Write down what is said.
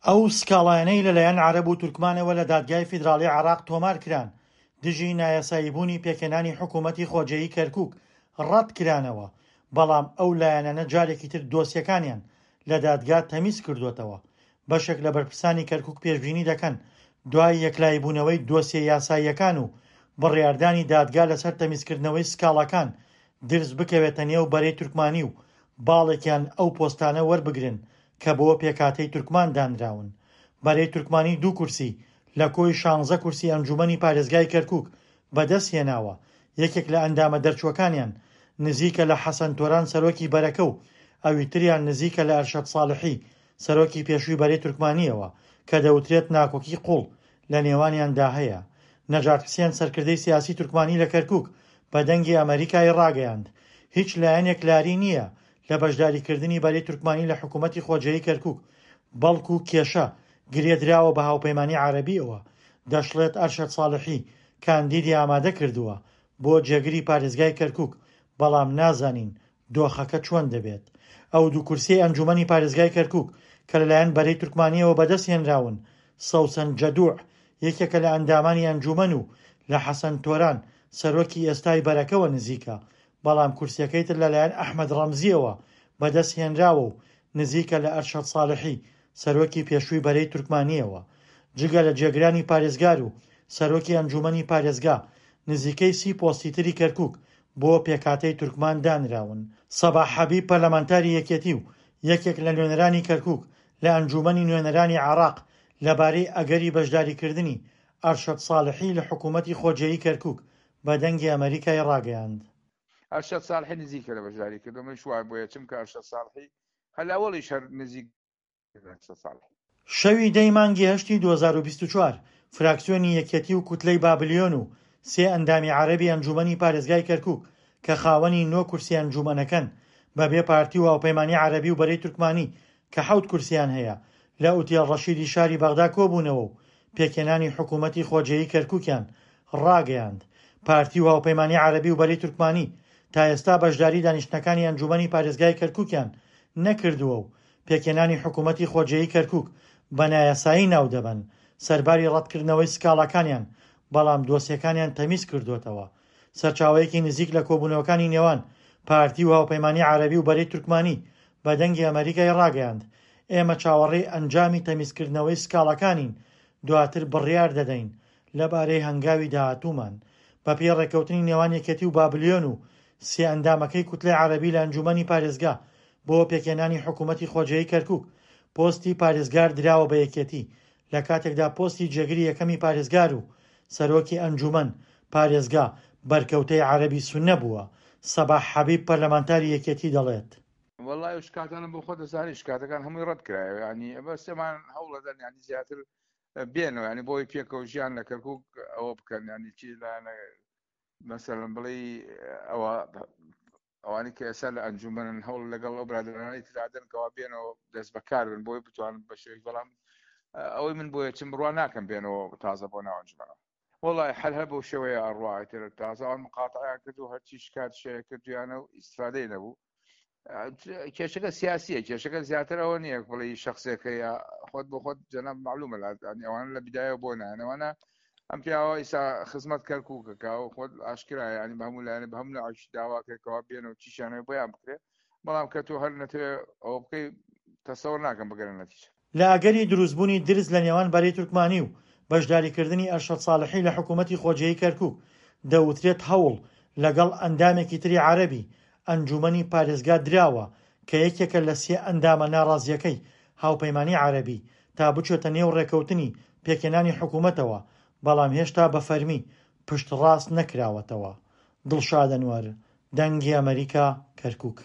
ئەو سکاڵایانەی لەلایەن عەرەب و تورکمانەوە لە دادگای فیدراڵی عێراق تۆمارکران دژی نایاساییبوونی پێکهێنانی حکوومەتی خۆجێیی کەرکووک ڕەتکرانەوە، بەڵام ئەو لایەنانە جارێکی تر دۆسیەکانیان لە دادگا تەمیز کردووەتەوە. بەشێک لە بەرپرسانی کەرکووک پێشبینی دەکەن دوای یەکلاییبوونەوەی دۆسیە یاساییەکان و بڕیاردانی دادگا لەسەر تەمیزکردنەوەی سکاڵاکان درز بکەوێتە نێو بەرەی تورکمانی و باڵێکیان ئەو پۆستانە وەربگرن کە بۆ پێکهاتەی تورکمان دانراون. بەرەی تورکمانی دوو کورسی لە کۆی شانزە کورسی ئەنجوومەنی پارێزگای کەرکووک بەدەستهێناوە، یەکێک لە ئەندامە دەرچووەکانیان نزیکە لە حەسەن تۆران سەرۆکی بەرەکە و ئەویتریان نزیکە لە ئەرشەد ساڵحی سەرۆکی پێشووی بەرەی تورکمانییەوە کە دەوترێت ناکۆکی قووڵ لە نێوانیاندا هەیە. نەجات حسێن سەرکردەی سیاسی تورکمانی لە کەرکووک بە دەنگی ئەمەریکای ڕاگەیاند هیچ لایەنێک لاری نییە لە بەشداریکردنی بەرەی تورکمانی لە حکوومەتی خۆجێیی کەرکووک، بەڵکو کێشە گرێ دراوە بە هاوپەیمانی عەرەبییەوە، دەشڵێت ئەرشەد ساڵحی کاندیدی ئامادە کردووە بۆ جێگری پارێزگای کەرکووک، بەڵام نازانین دۆخەکە چۆن دەبێت. ئەو دوو کورسیەی ئەنجوومەنی پارێزگای کەرکووک کە لەلایەن بەرەی تورکمانییەوە بەدەست هێنراون، سەوسەن جەدوع یەکێکە لە ئەندامانی ئەنجوومەن و لە حەسەن تۆران سەرۆکی ئێستای بەرەکەوە نزیکە، بەڵام کورسیەکەی تر لەلایەن ئەحمەد ڕەمزییەوە بەدەست هێنراوە و نزیکە لە ئەرشەد ساڵحی سەرۆکی پێشووی بەرەی تورکمانییەوە. جگە لە جێگرانی پارێزگار و سەرۆکی ئەنجوومەنی پارێزگا، نزیکەی 30 پۆستی تری کەرکووک بۆ پێکهاتەی تورکمان دانراون. سەباح حەبیب پەرلەمانتاری یەکێتی و یەکێک لە نوێنەرانی کەرکووک لە ئەنجوومەنی نوێنەرانی عێراق لەبارەی ئەگەری بەشداریکردنی ئەرشەد ساڵحی لە حکوومەتی خۆجێیی کەرکووک بە دەنگی ئەمەریکای ڕاگەیاند. ئەرشەد ساڵحی نزیکە لە بەشداریکردن، منیش وای بۆیە چونکە ئەرشەد ساڵحی هەر لە ئەوەڵیش هەر نزیک ئەرشەد ساڵحی. شەوی دەی مانگی هەشتی 2024، فراکسیۆنی یەکێتی و کوتلەی بابلیۆن و سێ ئەندامی عەرەبی ئەنجوومەنی پارێزگای کەرکووک کە خاوەنی نۆ کورسی ئەنجوومەنەکەن بەبێ پارتی و هاوپەیمانی عەرەبی و بەرەی تورکمانی کە حەوت کورسیان هەیە لە ئوتێل ڕەشیدی شاری بەغدا کۆبوونەوە و پێکهێنانی حکوومەتی خۆجێیی کەرکووکیان ڕاگەیاند. پارتی و هاوپەیمانی عەرەبی و بەرەی تورکمانی تا ئێستا بەشداری دانیشتنەکانی ئەنجوومەنی پارێزگای کەرکووکیان نەکردووە و پێکهێنانی حکوومەتی خۆجێیی کەرکووک بە نایاسایی ناودەبەن، سەرباری ڕەتکردنەوەی سکاڵاکانیان، بەڵام دۆسیەکانیان تەمیز کردووەتەوە. سەرچاوەیەکی نزیک لە کۆبوونەوەکانی نێوان پارتی و هاوپەیمانی عەرەبی و بەرەی تورکمانی بە دەنگی ئەمەریکای ڕاگەیاند، ئێمە چاوەڕێی ئەنجامی تەمیزکردنەوەی سکاڵاکانین، دواتر بڕیار دەدەین لەبارەی هەنگاوی داهاتوومان. بەپێی ڕێککەوتنی نێوان یەکێتی و بابلیۆن و سێ ئەندامەکەی کوتلەی عەرەبی لە ئەنجوومەنی پارێزگا بۆ پێکهێنانی حکوومەتی خۆجێیی کەرکووک، پۆستی پارێزگار دراوە بە یەکێتی، لە کاتێکدا پۆستی جێگری یەکەمی پارێزگار و سەرۆکی ئەنجوومەن پارێزگا بەرکەوتەی عەرەبی سوننە بووە، سەباح حەبیب پەرلەمانتاری یەکێتی دەڵێت. وەڵای ئەو شکاتانە بۆ خۆت دەزانی شکاتەکان هەمووی ڕەت کرایەوە یانی بەس ئەمان هەوڵەدەن یانی زیاتر بێنەوە یانی بۆی پێکەوە ژیان لە کەرکک ئەوە بکەن یانی چی لایەنە مەسەلەن بڵێ ئەوە ئەوانی کە ئێستا لە ئەنجومەنن هەوڵ لەگەڵ ئەو برادەرانەی ترادەن کەوا بێنەوە دەست بەکار بن بۆی بتوانن بە شێوەیەک بەڵام ئەوەی من بۆیە چم بڕوا ناکەم بێنەوە تازە بۆ ناو ئەنجومەنەوە وەڵای حەل هەر بەو شێوەیە ئەڕوا ئیتر تازە ئەوان مقاتعیان کرد و هەرچی شکات شەیە کردویانە و ئیسفادەی نەبوو کێشەکە سیاسیە کێشەکە زیاتر ئەوە نییە بڵێ شخصێکە یا خۆت بۆ خۆت جەناب معلومە ئەوان لە بدایە بۆ نانەوانە ئەم پیاوە ئیسا خزمەت کەرکووکەکە و خۆت ئاشکرایە ینی بە هەموو لایەنە بە هەموو لایەکی داوا کرد بێنەوە چیشانەوە بۆیان بکرێت بەڵام کە تۆ هەر نەتەوێ ئەوە بکەی تەسەوەر ناکەم بگەرە نەتیجە. لە ئەگەری دروستبوونی درز لە نێوان بەرەی تورکمانی و بەشداریکردنی ئەرشەد ساڵحی لە حکوومەتی خۆجێیی کەرکووک، دەوترێت هەوڵ لەگەڵ ئەندامێکی تری عەرەبی ئەنجوومەنی پارێزگا دراوە کە یەکێکە لە سێ ئەندامە ناڕازییەکەی هاوپەیمانی عەرەبی تا بچێتە نێو ڕێکەوتنی پێکهێنانی حکوومەتەوە، بەڵام هێشتا بە فەرمی پشتڕاست نەکراوەتەوە. دڵشاد ئەنوەر، دەنگی ئەمەریکا، کەرکووک.